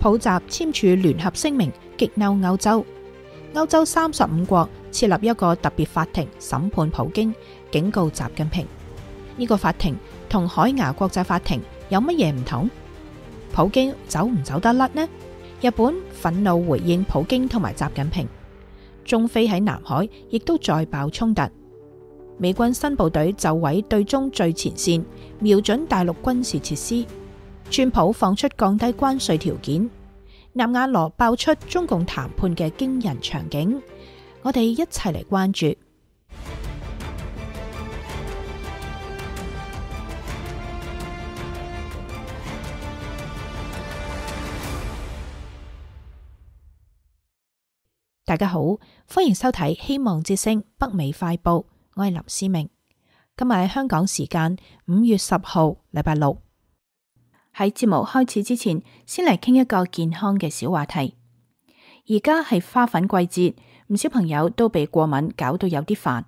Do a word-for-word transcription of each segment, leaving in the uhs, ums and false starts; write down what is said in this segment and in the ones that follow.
普習簽署聯合聲明，激嬲歐洲。歐洲三十五國設立一個特別法庭審判普京，警告習近平。呢個法庭同海牙國際法庭有乜嘢唔同？普京走唔走得甩呢？日本憤怒回應普京同埋習近平。中非喺南海亦都再爆衝突。美軍新部隊就位對中最前線，瞄準大陸軍事設施。川普放出降低關稅條件。納瓦羅爆出中共談判嘅驚人場景，我哋一齊嚟關注。大家好，歡迎收睇《希望之聲》北美快報，我係林思明。今日喺香港時間五月十號，禮拜六。喺節目開始之前，先嚟傾一個健康嘅小話題。而家係花粉季節，唔少朋友都被過敏搞到有啲煩。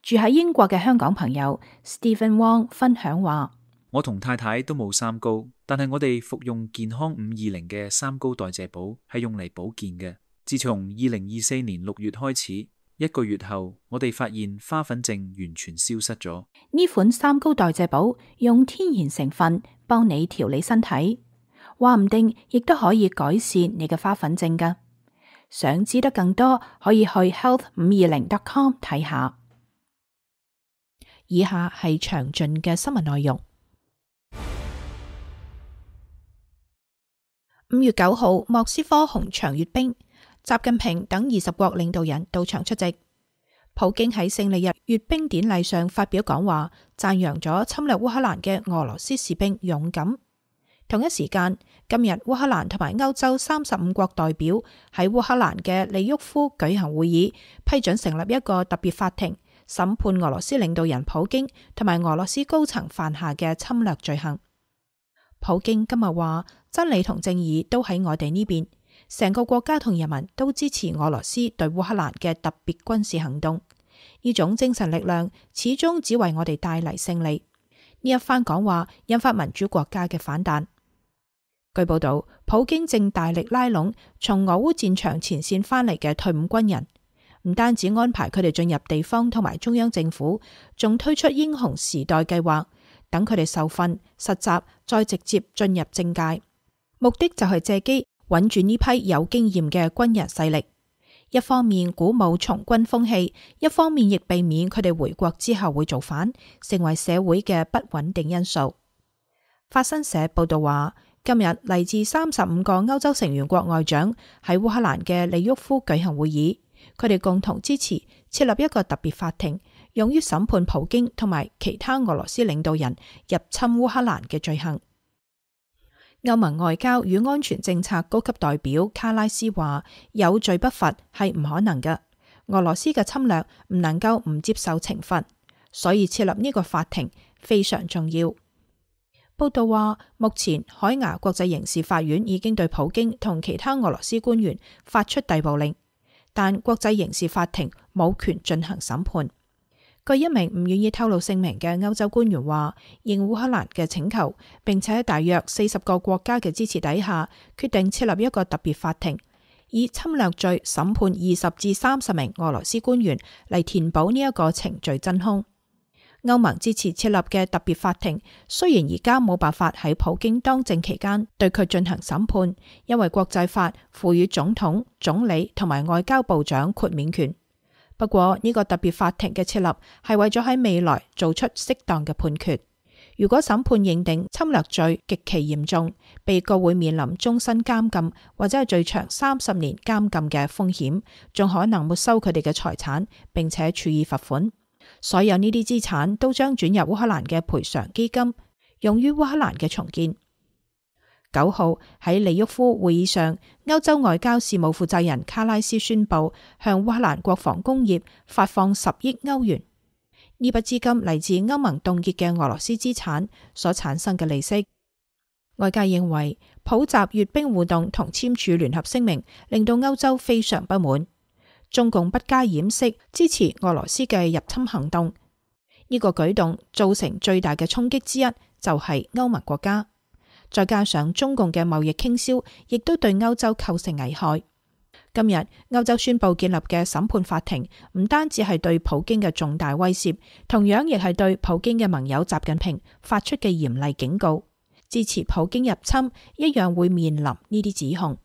住喺英國嘅香港朋友 Stephen Wong 分享話：我同太太都冇三高，但係我哋服用健康五二零嘅三高代謝寶係用嚟保健嘅。自從二零二四年六月開始，一個月後，我哋發現花粉症完全消失咗。呢款三高代謝寶用天然成分幫你調理身體，話唔定亦都可以改善你嘅花粉症㗎。想知得更多，可以去 health 五二零 dot com 睇下。以下係詳盡嘅新聞內容。五月九號，莫斯科紅場閱兵。習近平等二十國領導人到場出席。普京喺勝利日閱兵典禮上發表講話，讚揚咗侵略烏克蘭嘅俄羅斯士兵勇敢。同一時間，今日烏克蘭同埋歐洲三十五國代表喺烏克蘭嘅利沃夫舉行會議，批准成立一個特別法庭，審判俄羅斯領導人普京同埋俄羅斯高層犯下嘅侵略罪行。普京今日話：真理同正義都喺我哋呢邊。成個國家同人民都支持俄羅斯對烏克蘭嘅特別軍事行動，呢種精神力量始終只為我哋帶嚟勝利。呢一番講話引發民主國家嘅反彈。據報道，普京正大力拉攏從俄烏戰場前線翻嚟嘅退伍軍人，唔單止安排佢哋進入地方同埋中央政府，仲推出英雄時代計劃，等佢哋受訓、實習，再直接進入政界，目的就係借機穩住呢批有經驗嘅軍人勢力，一方面鼓舞從軍風氣，一方面亦避免佢哋回國之後會造反，成為社會嘅不穩定因素。法新社報道話，今日嚟自三十五個歐洲成員國外長喺烏克蘭嘅利沃夫舉行會議，佢哋共同支持設立一個特別法庭，用於審判普京同埋其他俄羅斯領導人入侵烏克蘭嘅罪行。歐盟外交與安全政策高級代表卡拉斯話：有罪不罰係唔可能嘅，俄羅斯嘅侵略唔能夠唔接受懲罰，所以設立呢個法庭非常重要。報道話，目前海牙國際刑事法院已經對普京同其他俄羅斯官員發出逮捕令，但國際刑事法庭冇權進行審判。據一名唔願意透露姓名嘅歐洲官員話，應烏克蘭嘅請求，並且喺大約四十個國家嘅支持底下，決定設立一個特別法庭，以侵略罪審判二十至三十名俄羅斯官員，嚟填補呢一個程序真空。歐盟支持設立嘅特別法庭，雖然而家冇辦法喺普京當政期間對佢進行審判，因為國際法賦予總統、總理同埋外交部長豁免權。不過呢個特別法庭嘅設立係為咗喺未來做出適當嘅判決。如果審判認定侵略罪極其嚴重，被告會面臨終身監禁或者係最長三十年監禁嘅風險，仲可能沒收佢哋嘅財產，並且處以罰款。所有呢啲資產都將轉入烏克蘭嘅賠償基金，用於烏克蘭嘅重建。九號喺利沃夫會議上，歐洲外交事務負責人卡拉斯宣布向烏克蘭國防工業發放十億歐元。呢筆資金嚟自歐盟凍結嘅俄羅斯資產所產生嘅利息。外界認為普習閱兵活動同簽署聯合聲明令到歐洲非常不滿，中共不加掩飾支持俄羅斯嘅入侵行動。呢個舉動造成最大嘅衝擊之一就係歐盟國家。再加上中共嘅貿易傾銷，亦都對歐洲構成危害。今日歐洲宣布建立嘅審判法庭，唔單止係對普京嘅重大威脅，同樣亦係對普京嘅盟友習近平發出嘅嚴厲警告。支持普京入侵一樣會面臨呢啲指控。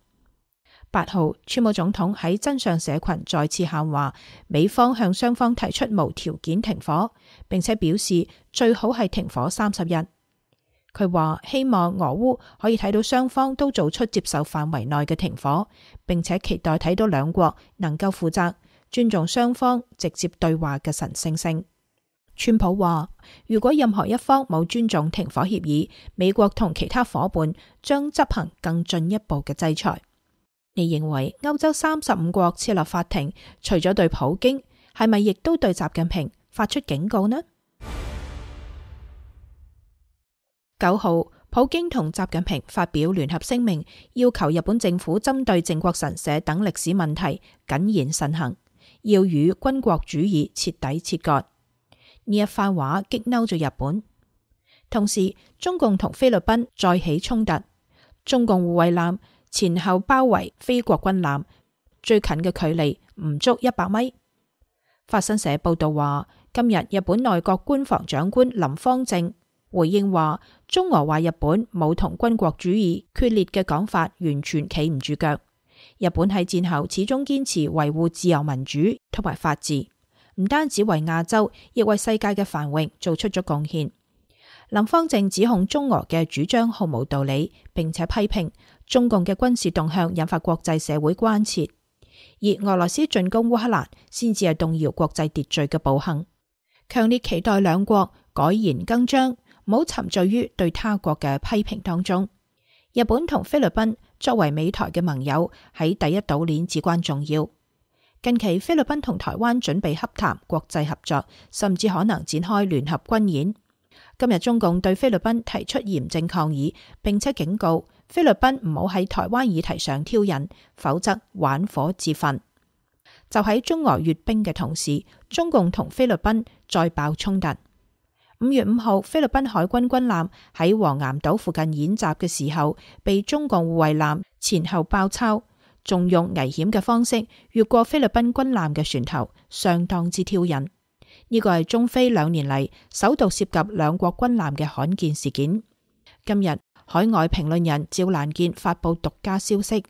八號，川普總統喺真相社群再次喊話，美方向雙方提出無條件停火，並且表示最好係停火三十日。佢話希望俄烏可以睇到雙方都做出接受範圍內嘅停火，並且期待睇到兩國能夠負責、尊重雙方直接對話嘅神聖性。川普話，如果任何一方冇尊重停火協議，美國同其他夥伴將執行更進一步嘅制裁。你認為歐洲三十五國設立法庭，除咗對普京，係咪亦都對習近平發出警告呢？九號，普京同習近平發表聯合聲明，要求日本政府針對靖國神社等歷史問題謹言慎行，要與軍國主義徹底切割。呢一番話激嬲咗日本。同時，中共同菲律賓再起衝突，中共護衛艦前後包圍菲國軍艦，最近嘅距離唔足一百米。法新社報道話，今日日本內閣官房長官林芳正回應話，中俄話日本冇同軍國主義決裂嘅講法，完全企唔住腳。日本喺戰後始終堅持維護自由民主同埋法治，唔單止為亞洲，亦為世界嘅繁榮做出咗貢獻。林芳正指控中俄嘅主張毫無道理，並且批評中共嘅軍事動向引發國際社會關切，而俄羅斯進攻烏克蘭先至係動搖國際秩序嘅暴行。強烈期待兩國改弦更張，唔好沉醉於對他國嘅批評當中。日本同菲律賓作為美台嘅盟友，喺第一島鏈至關重要。近期菲律賓同台灣準備洽談國際合作，甚至可能展開聯合軍演。今日中共對菲律賓提出嚴正抗議，並且警告菲律賓唔好喺台灣議題上挑釁，否則玩火自焚。就喺中俄閱兵嘅同時，中共同菲律賓再爆衝突。五月五號，菲律賓海軍軍艦喺黃岩島附近演習嘅時候，被中共護衛艦前後包抄，仲用危險嘅方式越過菲律賓軍艦嘅船頭，相當之挑釁。呢個係中菲兩年嚟首度涉及兩國軍艦嘅罕見事件。今日海外評論人趙蘭健發布獨家消息，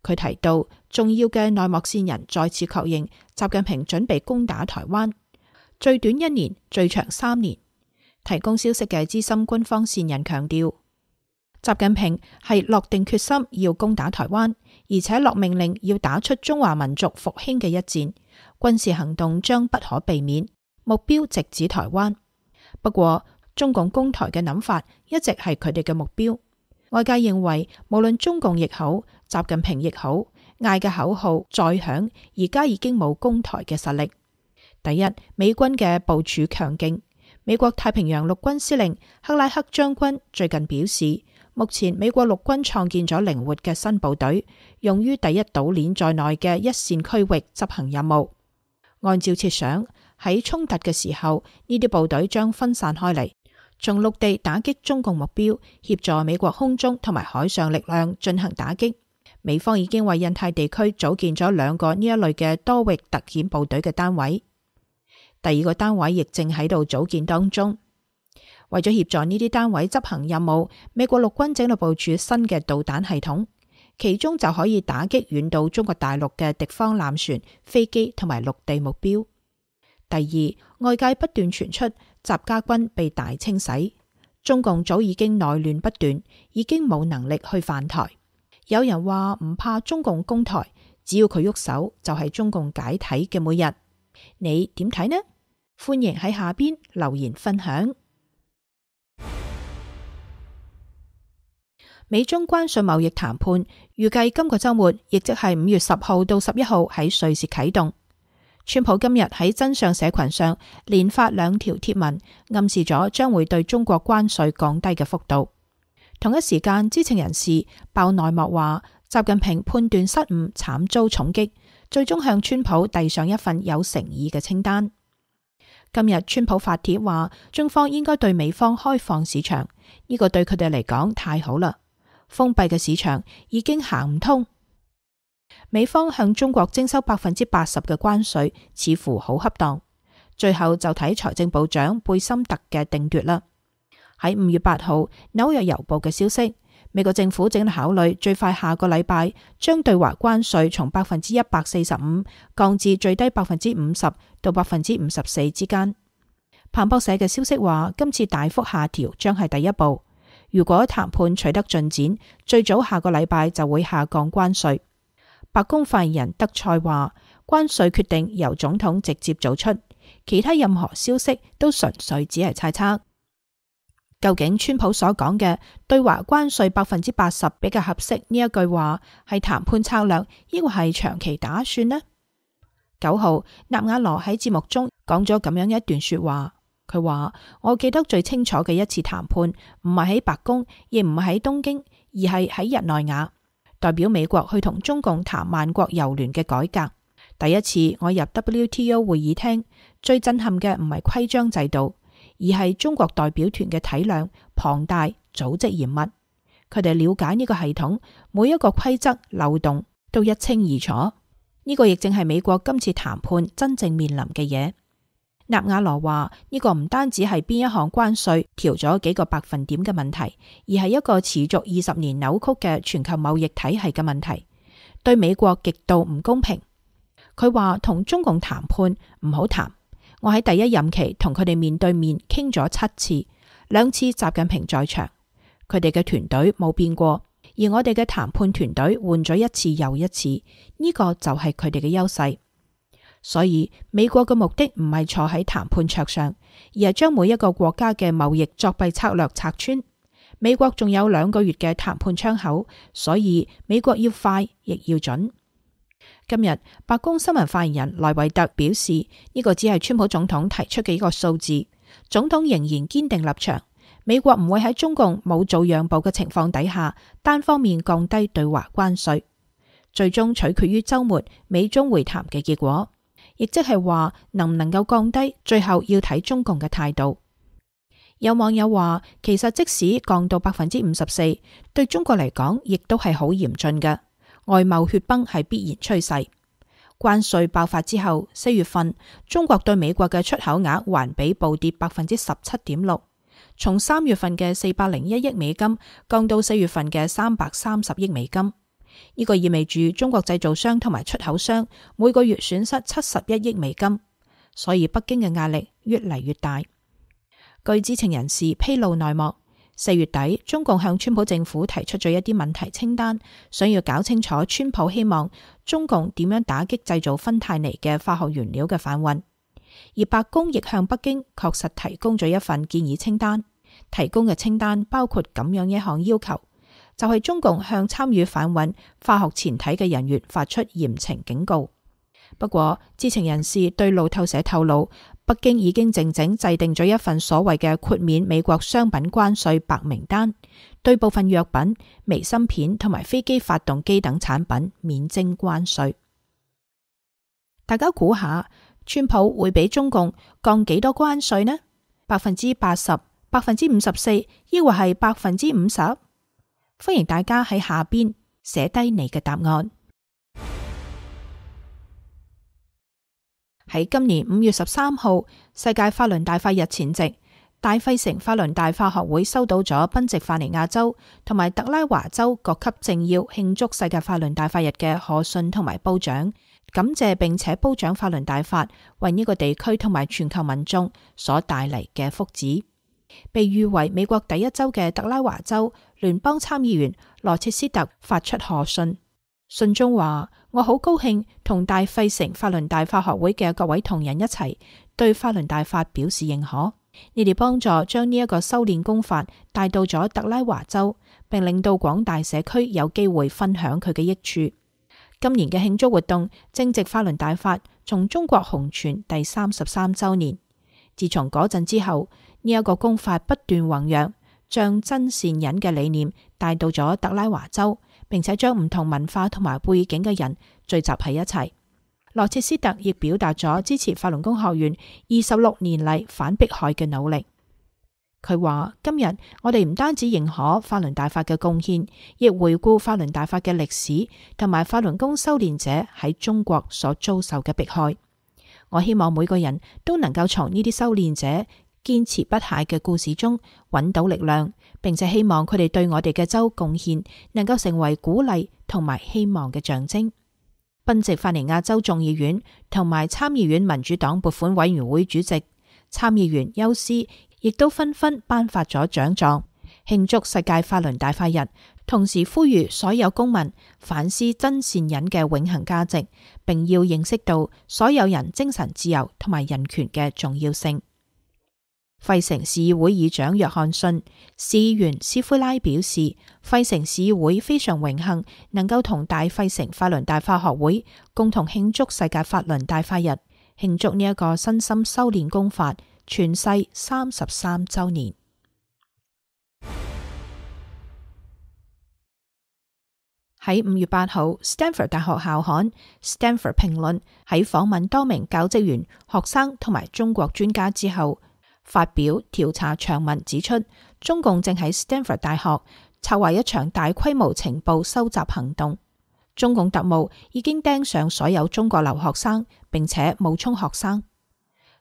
佢提到重要嘅內幕線人再次確認習近平準備攻打台灣，最短一年，最長三年。提供消息嘅資深軍方線人強調，習近平係落定決心要攻打台灣，而且落命令要打出中華民族復興嘅一戰，軍事行動將不可避免，目標直指台灣。不過，中共攻台嘅諗法一直係佢哋嘅目標。外界認為，無論中共亦好，習近平亦好，嗌嘅口號再響，而家已經冇攻台嘅實力。第一，美軍嘅部署強勁。美國太平洋陸軍司令克拉克將軍最近表示，目前美國陸軍創建咗靈活嘅新部隊，用於第一島鏈在內嘅一線區域執行任務。按照設想，喺衝突嘅時候，呢啲部隊將分散開嚟，從陸地打擊中共目標，協助美國空中同埋海上力量進行打擊。美方已經為印太地區組建咗兩個呢一類嘅多域特遣部隊嘅單位。第二個單位亦正喺度組建當中，為咗協助呢啲單位執行任務，美國陸軍正喺度部署新嘅導彈系統，其中就可以打擊遠到中國大陸嘅敵方艦船、飛機同埋陸地目標。第二，外界不斷傳出習家軍被大清洗，中共早已經內亂不斷，已經冇能力去犯台。有人話唔怕中共攻台，只要佢喐手，就係中共解體嘅每日。你點睇呢？歡迎喺下邊留言分享。美中關稅貿易談判預計今個週末，亦即係五月十號到十一號喺瑞士啟動。川普今日喺真相社群上連發兩條貼文，暗示咗將會對中國關稅降低嘅幅度。同一時間，知情人士爆內幕話，習近平判斷失誤，慘遭重擊，最終向川普遞上一份有誠意嘅清單。今日川普發帖話，中方應該對美方開放市場，呢個對佢哋嚟講太好啦。封閉嘅市場已經行唔通。美方向中國徵收百分之八十嘅關稅，似乎好恰當。最後就睇財政部長貝森特嘅定奪啦。喺五月八號，紐約郵報嘅消息，美國政府正考慮最快下個禮拜將對華關稅從百分之一百四十五降至最低百分之五十到百分之五十四之間。彭博社嘅消息話，今次大幅下調將係第一步。如果談判取得進展，最早下個禮拜就會下降關稅。白宮發言人德賽話，關稅決定由總統直接做出，其他任何消息都純粹只係猜測。究竟川普所講嘅對華關稅百分之八十比較合適呢一句話係談判策略，抑或係長期打算呢？九號，納瓦羅喺節目中講咗咁樣一段說話，佢話：我記得最清楚嘅一次談判，唔係喺白宮，亦唔係喺東京，而係喺日內瓦，代表美國去同中共談萬國郵聯嘅改革。第一次我入 W T O 會議廳，最震撼嘅唔係規章制度，而係中國代表團嘅體量龐大、組織嚴密。佢哋了解呢個系統，每一個規則漏洞都一清二楚。呢個亦正係美國今次談判真正面臨嘅嘢。納瓦羅話：呢個唔單止係邊一項關稅調咗幾個百分點嘅問題，而係一個持續二十年扭曲嘅全球貿易體系嘅問題，對美國極度唔公平。佢話同中共談判唔好談。我喺第一任期同佢哋面對面傾咗七次，兩次習近平在場，佢哋嘅團隊冇變過，而我哋嘅談判團隊換咗一次又一次，呢個就係佢哋嘅優勢。所以美國嘅目的唔係坐喺談判桌上，而係將每一個國家嘅貿易作弊策略拆穿。美國仲有兩個月嘅談判窗口，所以美國要快亦要準。今日白宮新聞發言人萊維特表示，呢個只係川普總統提出嘅一個數字，總統仍然堅定立場，美國唔會喺中共冇做讓步嘅情況底下單方面降低對華關稅，最終取決於週末美中會談嘅結果，亦即係話能唔能夠降低，最後要睇中共嘅態度。有網友話，其實即使降到百分之五十四，對中國嚟講亦都係好嚴峻嘅。外貿血崩係必然趨勢。關稅爆發之後，四月份中國對美國嘅出口額環比暴跌百分之十七點六，從三月份嘅四百零一億美金降到四月份嘅三百三十億美金。呢個意味住中國製造商同埋出口商每個月損失七十一億美金，所以北京嘅壓力越嚟越大。據知情人士披露內幕，四月底，中共向川普政府提出咗一啲問題清單，想要搞清楚川普希望中共點樣打擊製造芬太尼嘅化學原料嘅販運。而白宮亦向北京確實提供咗一份建議清單，提供嘅清單包括咁樣一項要求，就係、是、中共向參與販運化學前體嘅人員發出嚴懲警告。不過，知情人士對路透社透露，北京已經靜靜制定咗一份所謂嘅豁免美國商品關稅白名單，對部分藥品、微芯片同埋飛機發動機等產品免徵關稅。大家估下，川普會俾中共降幾多關稅呢？百分之八十、百分之五十四，抑或係百分之五十？歡迎大家喺下邊寫低你嘅答案。喺今年五月十三號，世界法輪大法日前夕，大費城法輪大法學會收到咗賓夕法尼亞州同埋特拉華州各級政要慶祝世界法輪大法日嘅賀信同埋褒獎，感謝並且褒獎法輪大法為呢個地區同埋全球民眾所帶嚟嘅福祉。被譽為美國第一州嘅特拉華州聯邦參議員羅切斯特發出賀信，信中話：我好高興同大費城法輪大法學會嘅各位同仁一齊對法輪大法表示認可，你哋幫助將呢一個修煉功法帶到咗特拉華州，並令到廣大社區有機會分享佢嘅益處。今年嘅慶祝活動正值法輪大法從中國紅傳第三十三周年。自從嗰陣之後，呢、這、一個功法不斷弘揚，將真善忍嘅理念帶到咗特拉華州，並且將唔同文化同埋背景嘅人聚集喺一齊。羅切斯特亦表達咗支持法輪功學員二十六年嚟反迫害嘅努力。佢話：今日我哋唔單止認可法輪大法嘅貢獻，亦回顧法輪大法嘅歷史同埋法輪功修煉者喺中國所遭受嘅迫害。我希望每個人都能夠從呢啲修煉者堅持不懈嘅故事中揾到力量，並且希望佢哋對我哋嘅州貢獻能夠成為鼓勵同埋希望嘅象徵。賓夕法尼亞州眾議院同埋參議院民主黨撥款委員會主席、參議員休斯亦都紛紛頒發咗獎狀，慶祝世界法輪大法日，同時呼籲所有公民反思真善忍嘅永恆價值，並要認識到所有人精神自由同埋人權嘅重要性。費城市議會議長約翰遜、市議員斯奎拉表示，費城市議會非常榮幸能夠同大費城法輪大法學會共同慶祝世界法輪大法日，慶祝呢一個身心修煉功法傳世三十三周年。喺五月八號，Stanford 大學校刊《Stanford 評論》喺訪問多名教職員、學生同埋中國專家之後，發表調查長文指出，中共正喺 Stanford 大學策劃一場大規模情報收集行動。中共特務已經盯上所有中國留學生，並且冒充學生。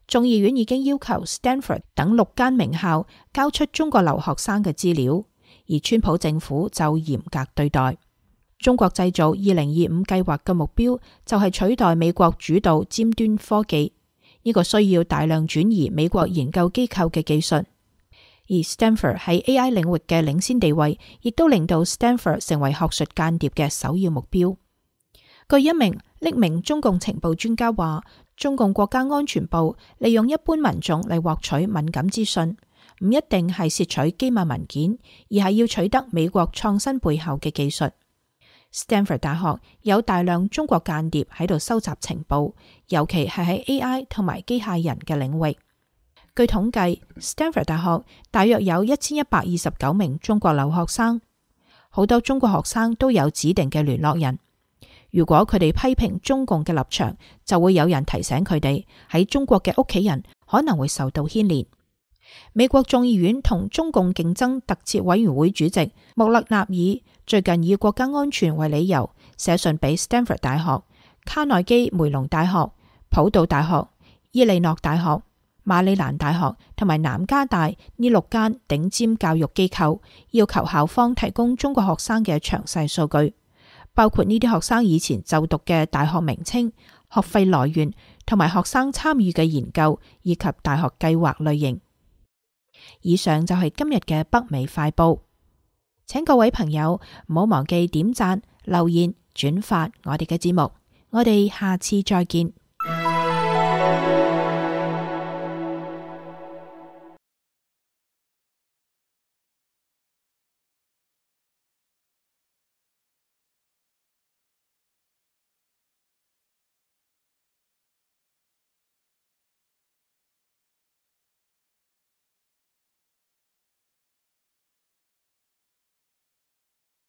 眾議院已經要求 Stanford 等六間名校交出中國留學生嘅資料，而川普政府就嚴格對待。中國製造二零二五計劃嘅目標就係取代美國主導尖端科技。呢個需要大量轉移美國研究機構嘅技術，而 Stanford 喺 A I 領域嘅領先地位，亦都令到 Stanford 成為學術間諜嘅首要目標。據一名匿名中共情報專家話，中共國家安全部利用一般民眾嚟獲取敏感資訊，唔一定係竊取機密文件，而係要取得美國創新背後嘅技術。Stanford 大學有大量中國間諜喺度收集情報，尤其係喺 A I 同埋機械人嘅領域。據統計 ，Stanford 大學大約有一千一百二十九名中國留學生，好多中國學生都有指定嘅聯絡人。如果佢哋批評中共嘅立場，就會有人提醒佢哋喺中國嘅屋企人可能會受到牽連。美國眾議院同中共競爭特設委員會主席穆勒納爾最近以國家安全為理由，寫信俾 Stanford 大學、卡內基梅隆大學、普渡大學、伊利諾大學、馬里蘭大學同埋南加大呢六間頂尖教育機構，要求校方提供中國學生嘅詳細數據，包括呢啲學生以前就讀嘅大學名稱、學費來源同埋學生參與嘅研究以及大學計劃類型。以上就係今日嘅北美快報，請各位朋友唔好忘記點讚、留言、轉發我哋嘅節目，我哋下次再見。